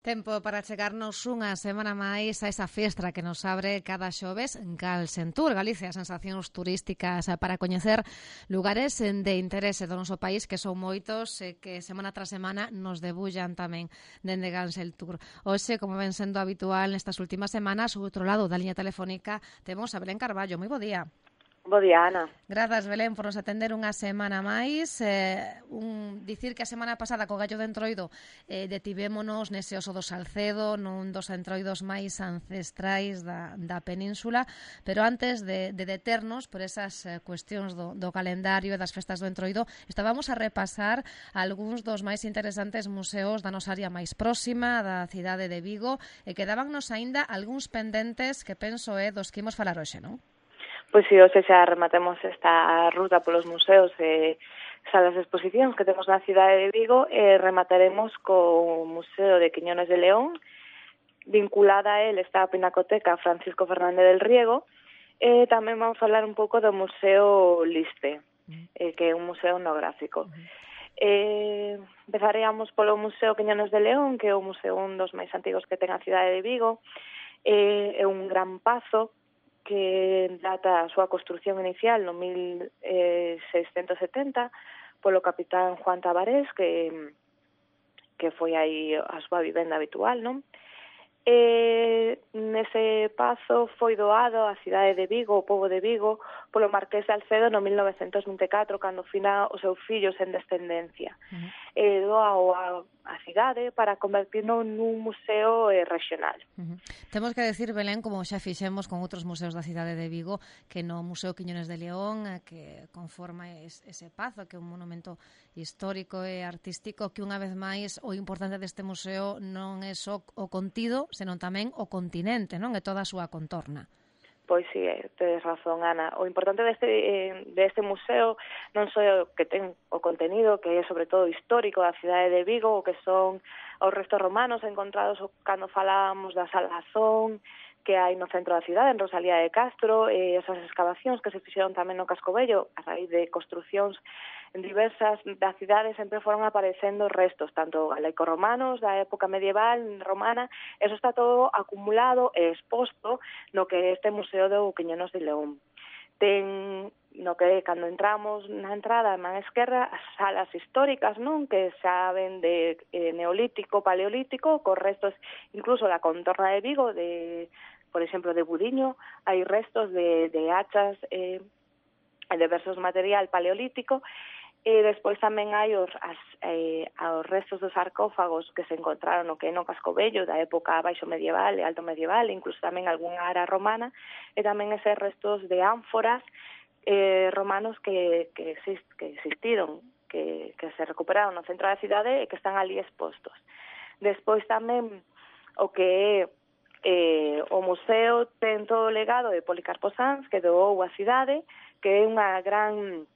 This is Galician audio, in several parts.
Tempo para chegarnos unha semana máis a esa fiestra que nos abre cada xoves Galsentur, Galicia, sensacións turísticas para coñecer lugares de interese do noso país, que son moitos e que semana tras semana nos debullan tamén dende Galsentur. Hoxe, como ven sendo habitual nestas últimas semanas, o outro lado da liña telefónica temos a Belén Carballo. Moi bo día. Bo día, Ana. Grazas, Belén, por nos atender unha semana máis. Dicir que a semana pasada co Gallo de Entroido detivémonos nese oso do Salcedo, nun dos entroidos máis ancestrais da península, pero antes de deternos por esas cuestións do calendario e das festas do Entroido, estábamos a repasar algúns dos máis interesantes museos da nosa área máis próxima, da cidade de Vigo, e quedábannos aínda algúns pendentes que penso dos que imos falar hoxe, non? Pois si, hoxe xa rematemos esta ruta polos museos e salas de exposicións que temos na cidade de Vigo e remataremos co Museo de Quiñones de León. Vinculada a él está a Pinacoteca Francisco Fernández del Riego e tamén vamos a falar un pouco do Museo Liste, que é un museo etnográfico. Empezaríamos polo Museo Quiñones de León, que é o museo un dos máis antigos que ten a cidade de Vigo. É un gran pazo que data a súa construción inicial no 1670 polo capitán Juan Tabarés, que foi aí a súa vivenda habitual, non? Nese pazo foi doado á cidade de Vigo, o pobo de Vigo, polo Marqués de Alcedo no 1924, cando fina o seu fillo sen descendencia. Doao a cidade para convertirlo nun museo regional. Temos que decir, Belén, como xa fixemos con outros museos da cidade de Vigo, que no Museo Quiñones de León, que conforma ese pazo, que é un monumento histórico e artístico, que unha vez máis o importante deste museo non é só o contido, senón tamén o continente, non? E toda a súa contorna. Pois si, tedes razón, Ana. O importante deste museo non só o que ten o contenido, que é sobre todo histórico da cidade de Vigo, o que son os restos romanos encontrados cando falábamos da Salazón, que hai no centro da cidade, en Rosalía de Castro, esas excavacións que se fixeron tamén no Casco Vello, a raíz de construcións en diversas das cidades sempre foron aparecendo restos, tanto galaico-romanos, da época medieval, romana. Eso está todo acumulado e exposto no que é este Museo do Quiñones de León. Ten no que cando entramos na entrada na esquerda as salas históricas, non, que saben de neolítico, paleolítico, con restos incluso da contorna de Vigo, por exemplo, de Budiño, hai restos de hachas e diversos material paleolítico. E despois tamén hai os restos dos sarcófagos que se encontraron no que é no Casco Vello da época baixo medieval e alto medieval, incluso tamén algunha ara romana, e tamén eses restos de ánforas romanos que existiron, que se recuperaron no centro da cidade e que están ali expostos. Despois tamén o que é o museo ten todo o legado de Policarpo Sanz, que doou a cidade, que é unha gran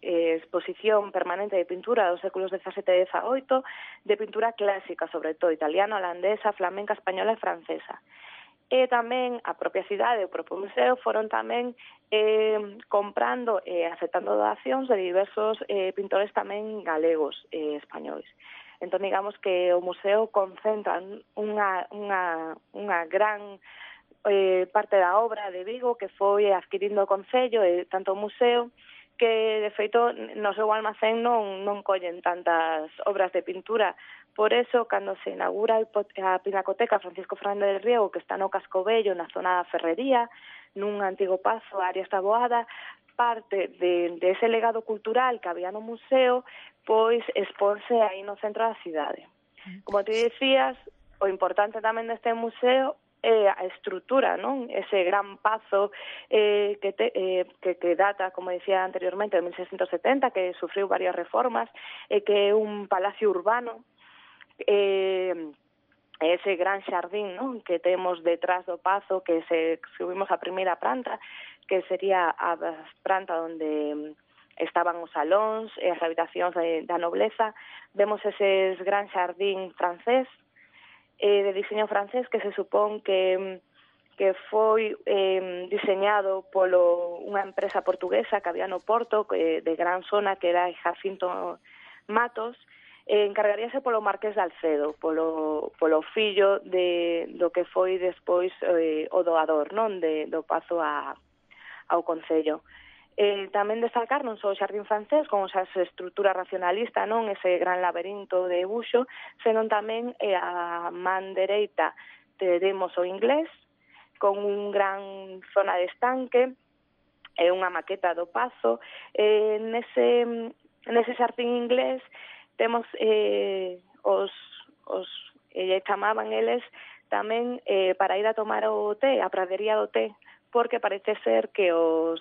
exposición permanente de pintura dos séculos XVII e XVIII, de pintura clásica, sobre todo italiana, holandesa, flamenca, española e francesa. E tamén a propia cidade, o propio museo, foron tamén comprando e aceptando donacións de diversos pintores tamén galegos e españois. Entón, digamos que o museo concentra unha gran parte da obra de Vigo que foi adquirindo o Concello e tanto o museo que, de feito, no seu almacén non collen tantas obras de pintura. Por eso, cando se inaugura a Pinacoteca Francisco Fernández del Riego, que está no Casco Vello, na zona da Ferrería, nun antigo pazo, Arias Taboada, parte de ese legado cultural que había no museo, pois exporse aí no centro da cidade. Como te dicías, o importante tamén deste museo a estrutura, non? Ese gran pazo que data, como decía anteriormente, de 1670, que sufriu varias reformas, que é un palacio urbano, ese gran xardín, non? Que temos detrás do pazo, que se subimos a primeira planta, que sería a planta onde estaban os salóns e as habitacións da nobleza. Vemos ese gran xardín francés, de diseño francés, que se supón que foi diseñado polo unha empresa portuguesa que había no Porto, de gran zona, que era Jacinto Matos, encargaríase polo Marqués de Alcedo, polo fillo do que foi despois o doador, non, do pazo ao Concello. Tamén destacar non só o Xardín francés, como esa estrutura racionalista, non, ese gran laberinto de Buxo, senón tamén a man dereita teremos o Inglés, con un gran zona de estanque, unha maqueta do pazo. Nese xardín inglés temos chamaban eles tamén para ir a tomar o té, a pradería do té, porque parece ser que no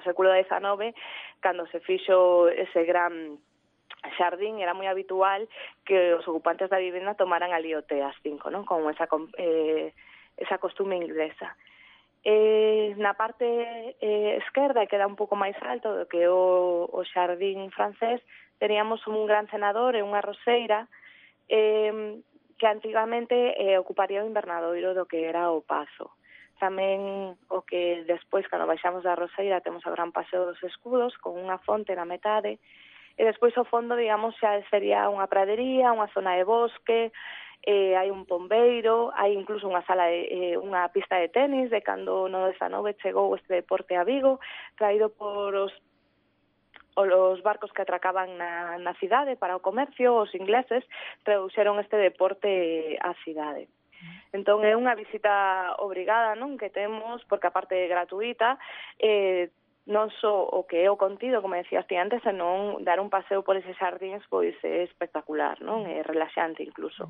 século XIX, cando se fixo ese gran xardín, era moi habitual que os ocupantes da vivenda tomaran ali o té ás 5, non? Con esa costume inglesa. Na parte esquerda, que queda un pouco máis alto do que o xardín francés, teríamos un gran cenador e unha roseira que antigamente ocuparía o invernadoiro do que era o pazo. Tamén o que despois, cando baixamos da roseira, temos o gran paseo dos escudos, con unha fonte na metade, e despois ao fondo, digamos, xa sería unha pradería, unha zona de bosque, hai un pombeiro, hai incluso unha unha pista de tenis de cando no 19 chegou este deporte a Vigo, traído por os barcos que atracaban na cidade para o comercio. Os ingleses traduxeron este deporte á cidade. Entón é unha visita obrigada, non, que temos, porque a parte gratuita, non só o que é o contido, como decías ti antes, senón dar un paseo por eses xardíns, pois é espectacular, non? É relaxante incluso.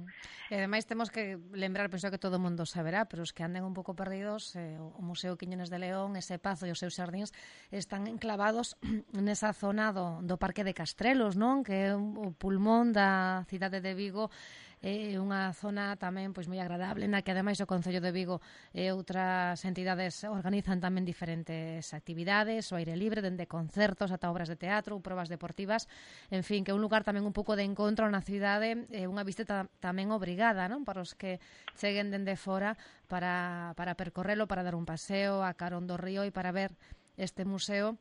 E ademais temos que lembrar, penso que todo o mundo saberá, pero os que anden un pouco perdidos, o Museo Quiñones de León, ese pazo e os seus xardíns están enclavados nesa zona do Parque de Castrelos, non? Que é o pulmón da cidade de Vigo, é unha zona tamén pois moi agradable, na que ademais o Concello de Vigo e outras entidades organizan tamén diferentes actividades, o aire libre, dende concertos ata obras de teatro ou probas deportivas, en fin, que é un lugar tamén un pouco de encontro na cidade, unha visita tamén obrigada, non, para os que cheguen dende fora para percorrelo, para dar un paseo a carón do río e para ver este museo,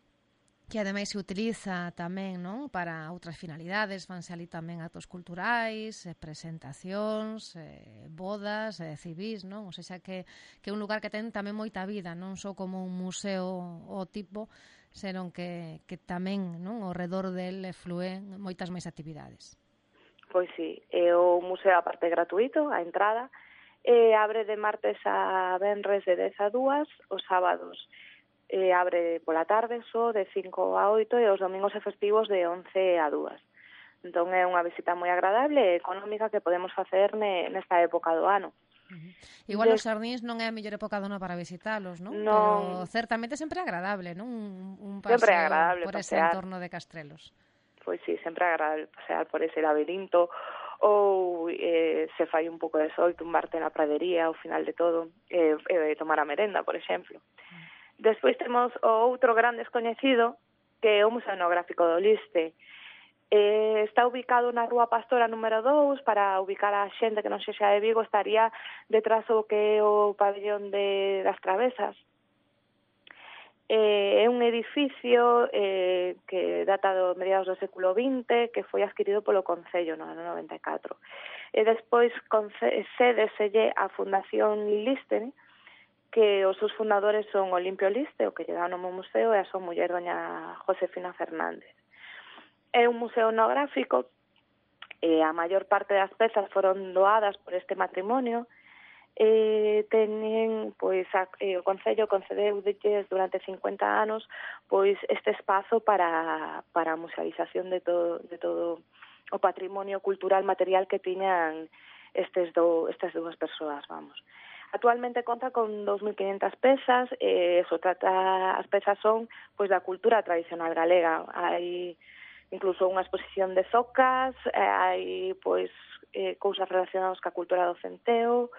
que ademais se utiliza tamén, non, para outras finalidades, fanse ali tamén actos culturais, presentacións, bodas, civís, non? Ou seja, que é un lugar que ten tamén moita vida, non só como un museo o tipo, senón que tamén, non, ao redor del flúen moitas máis actividades. Pois sí, o museo a parte gratuito, a entrada, abre de martes a venres de 10 a 2, os sábados abre pola tarde só de 5 a 8 e os domingos e festivos de 11 a 2. Entón é unha visita moi agradable e económica que podemos facer nesta época do ano. Igual os xardíns non é a mellor época do ano para visitalos, non? Pero certamente sempre é agradable, non? Un paseo por ese entorno de Castrelos. Pois sí, sempre é agradable pasear por ese labirinto ou se fai un pouco de sol, tumbarte na pradería ao final de todo e tomar a merenda, por exemplo. Despois temos o outro gran descoñecido, que é o Museo Etnográfico do Liste. Está ubicado na Rúa Pastora número 2, para ubicar a xente que non sexa de Vigo, estaría detrás do que é o pabellón das Travesas. É un edificio que data do mediados do século XX, que foi adquirido polo Concello no ano 94. E despois cédeselle a Fundación Liste, que os seus fundadores son Olimpio Liste, o que lle dá o nome ao museo, e a súa muller, doña Josefina Fernández. É un museo etnográfico, a maior parte das pezas foron doadas por este matrimonio, teñen, pois, o Concello concedeu durante 50 anos pois este espazo para a musealización de todo o patrimonio cultural material que tiñan estas dúas persoas, vamos. Actualmente conta con 2.500 pezas, as pezas son pois da cultura tradicional galega. Hai incluso unha exposición de zocas, hai pois cousas relacionadas ca cultura do centeo,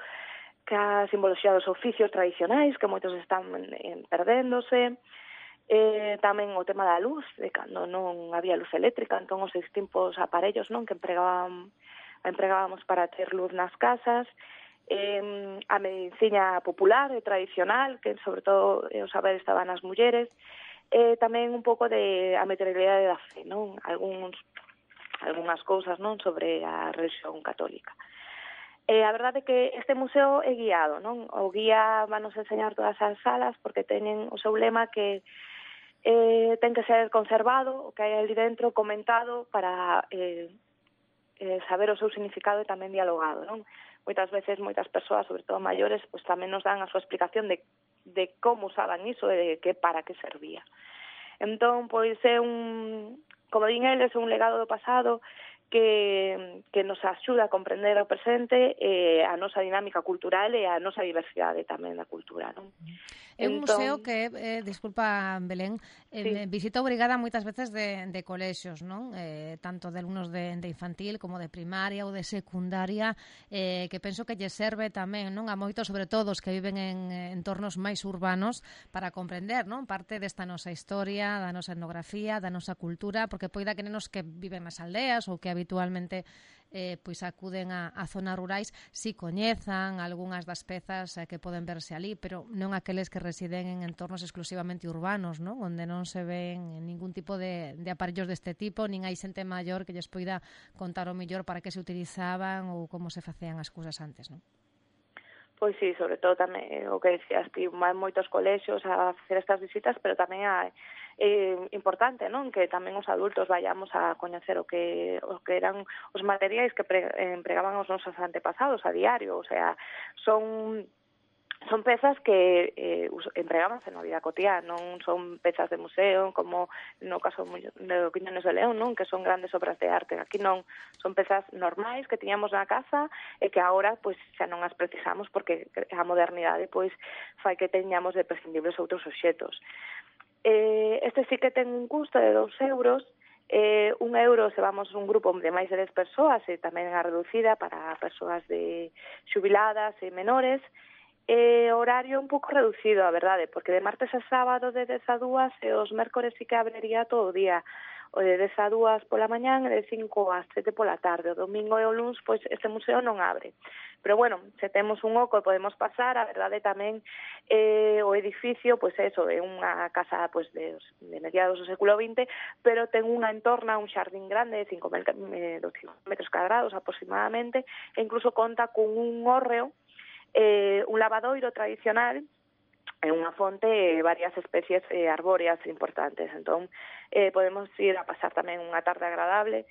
ca simboloxía dos oficios tradicionais, que moitos están perdéndose. Tamén o tema da luz, de cando non había luz eléctrica, entón os distintos aparellos, non, que empregábamos para ter luz nas casas. A medicina popular e tradicional, que sobre todo o saber estaba nas mulleres, tamén un pouco de a materialidade da fe, non? Algúns algunhas cousas, non, sobre a religión católica. A verdade é que este museo é guiado, non? O guía vanos enseñar todas as salas porque teñen o seu lema que ten que ser conservado, o que hai ali dentro comentado para saber o seu significado e tamén dialogado, non? Moitas veces, moitas persoas, sobre todo maiores, pues tamén nos dan a súa explicación de como usaban iso e de para que servía. Entón, pois é como din eles, un legado do pasado que nos axuda a comprender o presente e a nosa dinámica cultural e a nosa diversidade tamén da cultura, non? É un museo que, disculpa, Belén, visita obrigada moitas veces de colexios, non? Tanto de alumnos de infantil como de primaria ou de secundaria, que penso que lle serve tamén, non? A moitos, sobre todo, os que viven en entornos máis urbanos para comprender, non? Parte desta nosa historia, da nosa etnografía, da nosa cultura, porque poida que nenos que viven nas aldeas ou que habitualmente pois acuden a zonas rurais si coñezan algunhas das pezas que poden verse ali, pero non aqueles que residen en entornos exclusivamente urbanos, non? Onde non se ven ningún tipo de aparellos deste tipo, nin hai xente maior que lles poida contar o mellor para que se utilizaban ou como se facían as cousas antes, non? Pois sí, sobre todo tamén o que decías ti, van moitos colexios a facer estas visitas, pero tamén é importante, non? Que tamén os adultos vayamos a coñecer o que eran os materiais que empregaban os nosos antepasados a diario, o sea, son pezas que empregábanse na vida cotiá, non son pezas de museo como no caso de Quiñones de León, non, que son grandes obras de arte. Aquí non, son pezas normais que tiñamos na casa e que agora pois xa non as precisamos porque a modernidade pois fai que teñamos de prescindibles outros obxetos. Este sí que ten un custo de 2 euros, 1 euro se vamos un grupo de máis de 10 persoas e tamén a reducida para persoas de xubiladas e menores. Horario un pouco reducido, a verdade, porque de martes a sábado de 10 a 2 e os mércores sí que abriría todo o día, o de 10 a 2 pola mañán e de 5 a 7 pola tarde. O domingo e o luns, pois este museo non abre. Pero bueno, se temos un oco e podemos pasar, a verdade tamén o edificio, pois eso, é unha casa pois de mediados do século XX, pero ten unha entorna, un xardín grande de 5.000 metros cuadrados aproximadamente, e incluso conta con un hórreo, un lavadoiro tradicional e unha fonte e varias especies arbóreas importantes. Entón, podemos ir a pasar tamén unha tarde agradable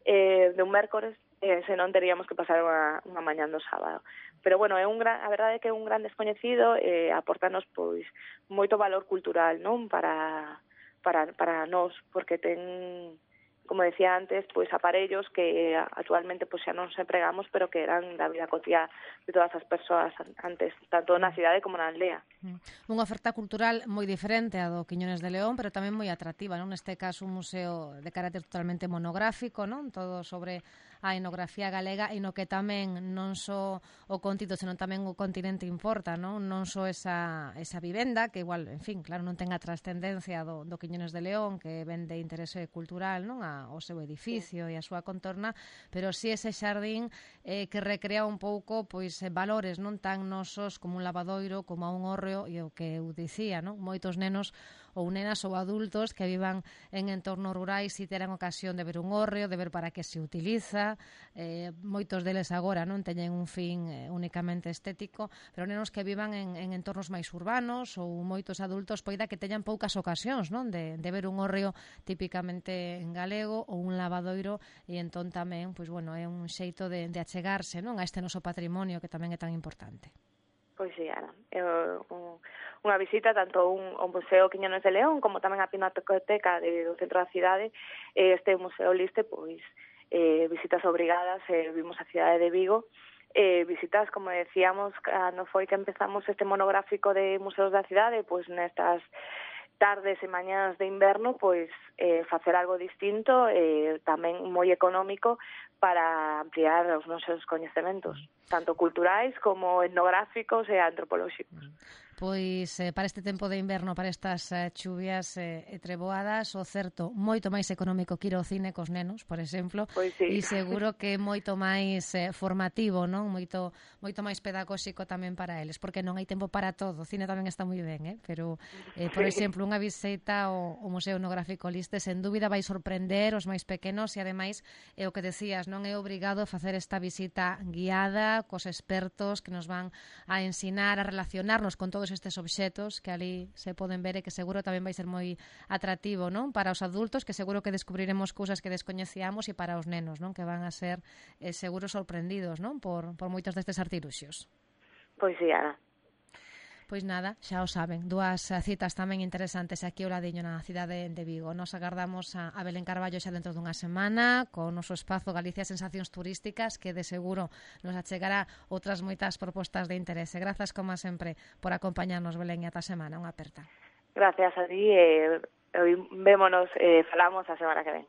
de un mércores, senón teríamos que pasar unha mañán do sábado. Pero, bueno, a verdade é que é un gran descoñecido e aportanos pois moito valor cultural, non? Para nós, porque ten, como decía antes, pois aparellos que actualmente pois xa non se empregamos, pero que eran da vida cotiá de todas as persoas antes, tanto na cidade como na aldea. Unha oferta cultural moi diferente a do Quiñones de León, pero tamén moi atractiva, non? Neste caso un museo de carácter totalmente monográfico, non? Todo sobre a etnografía galega e no que tamén non só o contido, senón tamén o continente importa, non? Non só esa vivenda, que igual, en fin, claro, non ten a trascendencia do Quiñones de León, que ven de interese cultural, non? O seu edificio e a súa contorna, pero si ese xardín que recrea un pouco pois valores non tan nosos como un lavadoiro, como un hórreo e o que eu dicía, non? Moitos nenos ou nenas ou adultos que vivan en entornos rurais si terán ocasión de ver un hórreo, de ver para que se utiliza, moitos deles agora non teñen un fin únicamente estético, pero nenos que vivan en entornos máis urbanos ou moitos adultos poida que teñan poucas ocasións non de ver un hórreo típicamente en galego ou un lavadoiro e entón tamén, pois bueno, é un xeito de achegarse non a este noso patrimonio que tamén é tan importante. Pois sí, Ana, unha visita tanto ao Museo Quiñones de León como tamén a Pinacoteca do centro da cidade. Este Museo Liste, pois, visitas obrigadas, vimos a cidade de Vigo, visitas, como decíamos, cando foi que empezamos este monográfico de museos da cidade, pois nestas tardes e mañás de inverno, pois facer algo distinto, tamén moi económico para ampliar os nosos coñecementos, tanto culturais como etnográficos e antropolóxicos. Pois para este tempo de inverno, para estas chuvias e treboadas, o certo, moito máis económico que ir ao cine cos nenos, por exemplo, Pois sí. e seguro que moito máis formativo, non? Moito máis pedagóxico tamén para eles, porque non hai tempo para todo. O cine tamén está moi ben, pero, por exemplo, unha visita ao Museo Etnográfico Liste, sen dúbida vai sorprender os máis pequenos e, ademais, é o que decías, non é obrigado a facer esta visita guiada cos expertos que nos van a ensinar a relacionarnos con todos estes obxetos que ali se poden ver e que seguro tamén vai ser moi atractivo, non? Para os adultos, que seguro que descubriremos cousas que descoñecíamos, e para os nenos, non? Que van a ser seguro sorprendidos, non? Por moitos destes artiluxos. Pois sí, Ana. Pois nada, xa o saben, dúas citas tamén interesantes aquí ao ladiño na cidade de Vigo. Nos agardamos a Belén Carballo xa dentro dunha semana con o noso espazo Galicia Sensacións Turísticas, que de seguro nos achegará outras moitas propostas de interese. Grazas, como sempre, por acompañarnos, Belén, e ata semana. Unha aperta. Gracias a ti, vémonos, falamos a semana que ven.